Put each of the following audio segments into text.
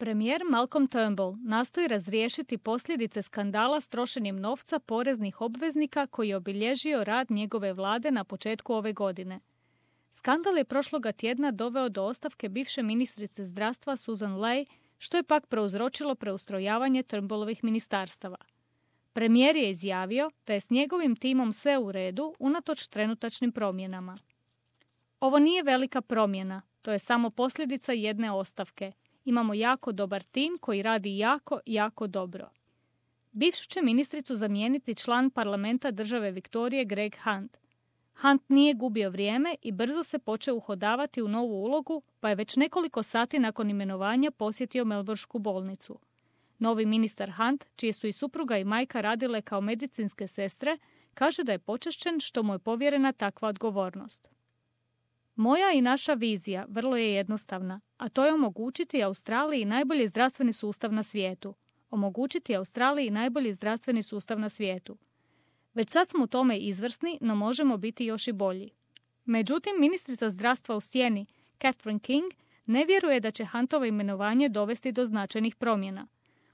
Premijer Malcolm Turnbull nastoji razriješiti posljedice skandala s trošenjem novca poreznih obveznika koji je obilježio rad njegove vlade na početku ove godine. Skandal je prošloga tjedna doveo do ostavke bivše ministrice zdravstva Susan Ley, što je pak prouzročilo preustrojavanje Turnbullovih ministarstava. Premijer je izjavio da je s njegovim timom sve u redu unatoč trenutačnim promjenama. Ovo nije velika promjena, to je samo posljedica jedne ostavke. Imamo jako dobar tim koji radi jako dobro. Bivšu će ministricu zamijeniti član parlamenta države Viktorije Greg Hunt. Hunt nije gubio vrijeme i brzo se počeo uhodavati u novu ulogu, pa je već nekoliko sati nakon imenovanja posjetio Melbournesku bolnicu. Novi ministar Hunt, čije su i supruga i majka radile kao medicinske sestre, kaže da je počašćen što mu je povjerena takva odgovornost. Moja i naša vizija vrlo je jednostavna, a to je omogućiti Australiji najbolji zdravstveni sustav na svijetu. Omogućiti Australiji najbolji zdravstveni sustav na svijetu. Već sad smo u tome izvrsni, no možemo biti još i bolji. Međutim, ministrica zdravstva u sjeni, Catherine King, ne vjeruje da će Huntovo imenovanje dovesti do značajnih promjena.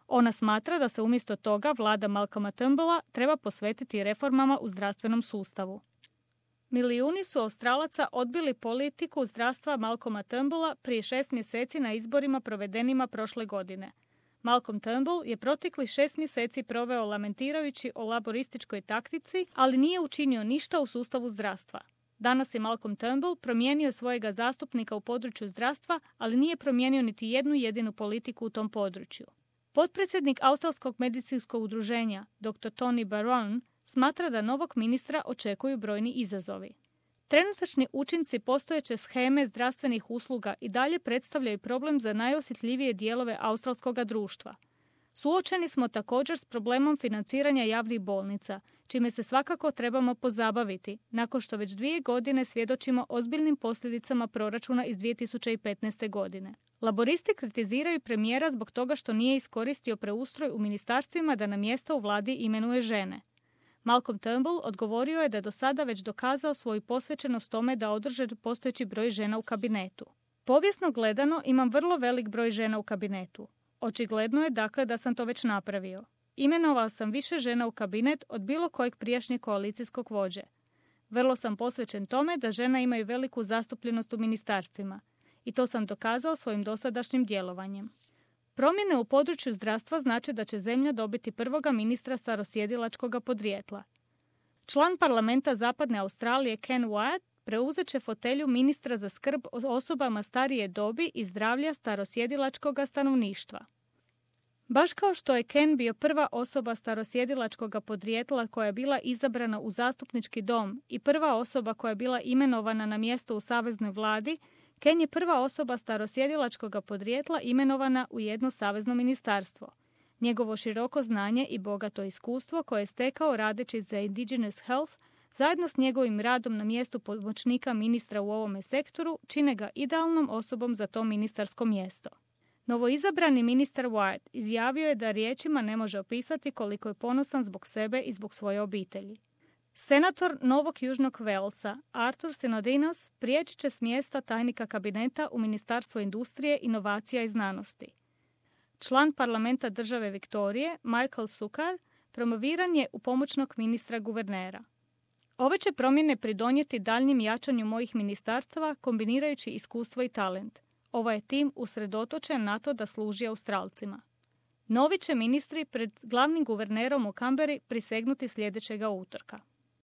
Ona smatra da se umjesto toga vlada Malcolma Turnbulla treba posvetiti reformama u zdravstvenom sustavu. Milijuni su Australaca odbili politiku zdravstva Malcolma Turnbulla prije 6 mjeseci na izborima provedenima prošle godine. Malcolm Turnbull je protekli 6 mjeseci proveo lamentirajući o laborističkoj taktici, ali nije učinio ništa u sustavu zdravstva. Danas je Malcolm Turnbull promijenio svojega zastupnika u području zdravstva, ali nije promijenio niti jednu jedinu politiku u tom području. Potpredsjednik Australskog medicinskog udruženja, dr. Tony Barron, smatra da novog ministra očekuju brojni izazovi. Trenutačni učinci postojeće sheme zdravstvenih usluga i dalje predstavljaju problem za najosjetljivije dijelove australskog društva. Suočeni smo također s problemom financiranja javnih bolnica, čime se svakako trebamo pozabaviti, nakon što već 2 godine svjedočimo ozbiljnim posljedicama proračuna iz 2015. godine. Laboristi kritiziraju premijera zbog toga što nije iskoristio preustroj u ministarstvima da na mjesta u vladi imenuje žene. Malcolm Turnbull odgovorio je da je do sada već dokazao svoju posvećenost tome da održi postojeći broj žena u kabinetu. Povijesno gledano imam vrlo velik broj žena u kabinetu. Očigledno je dakle da sam to već napravio. Imenovao sam više žena u kabinet od bilo kojeg prijašnjeg koalicijskog vođe. Vrlo sam posvećen tome da žena imaju veliku zastupljenost u ministarstvima. I to sam dokazao svojim dosadašnjim djelovanjem. Promjene u području zdravstva znače da će zemlja dobiti prvoga ministra starosjedilačkog podrijetla. Član parlamenta Zapadne Australije Ken Wyatt preuzet će fotelju ministra za skrb o osobama starije dobi i zdravlja starosjedilačkog stanovništva. Baš kao što je Ken bio prva osoba starosjedilačkog podrijetla koja je bila izabrana u zastupnički dom i prva osoba koja je bila imenovana na mjesto u saveznoj vladi, Ken je prva osoba starosjedilačkog podrijetla imenovana u jedno savezno ministarstvo. Njegovo široko znanje i bogato iskustvo koje je stekao radeći za Indigenous Health, zajedno s njegovim radom na mjestu pomoćnika ministra u ovome sektoru, čine ga idealnom osobom za to ministarsko mjesto. Novoizabrani ministar Wyatt izjavio je da riječima ne može opisati koliko je ponosan zbog sebe i zbog svoje obitelji. Senator Novog Južnog Walesa Arthur Sinodinos prijeći će s mjesta tajnika kabineta u Ministarstvo industrije, inovacija i znanosti. Član parlamenta države Viktorije Michael Sukkar promoviran je u pomoćnog ministra guvernera. Ove će promjene pridonijeti daljnjem jačanju mojih ministarstava kombinirajući iskustvo i talent. Ovaj je tim usredotočen na to da služi Australcima. Novi će ministri pred glavnim guvernerom u Canberri prisegnuti sljedećega utorka.